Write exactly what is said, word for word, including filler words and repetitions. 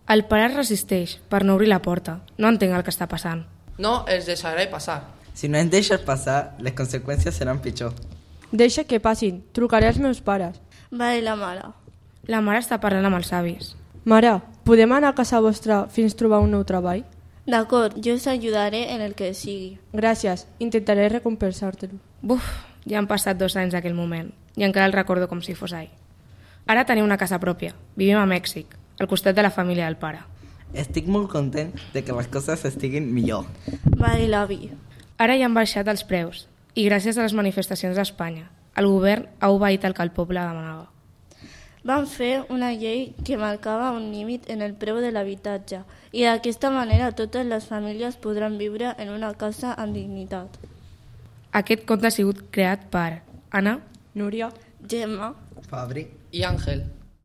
El pare es resisteix per no obrir la porta. No entenc el que està passant. No els deixaré passar. Si no ens deixes passar, les conseqüències seran pitjor. Deixa que passin, trucaré als meus pares. Va dir la mare. La mare està parlant amb els avis. Mare, podem anar a casa vostra fins trobar un nou treball? D'acord, jo us ajudaré en el que sigui. Gràcies, intentaré recompensar-te-lo. Buf, ja han passat dos anys d'aquell moment i encara el recordo com si fos ahir. Ara tenim una casa pròpia. Vivim a Mèxic, al costat de la família del pare. Estic molt content de que les coses estiguin millor. Va dir l'avi. Ara ja han baixat els preus i gràcies a les manifestacions d'Espanya, el govern ha obeït el que el poble demanava. Van fer una llei que marcava un límit en el preu de l'habitatge i d'aquesta manera totes les famílies podran viure en una casa amb dignitat. Aquest conte ha sigut creat per Anna, Núria, Gemma Fabri I Àngel.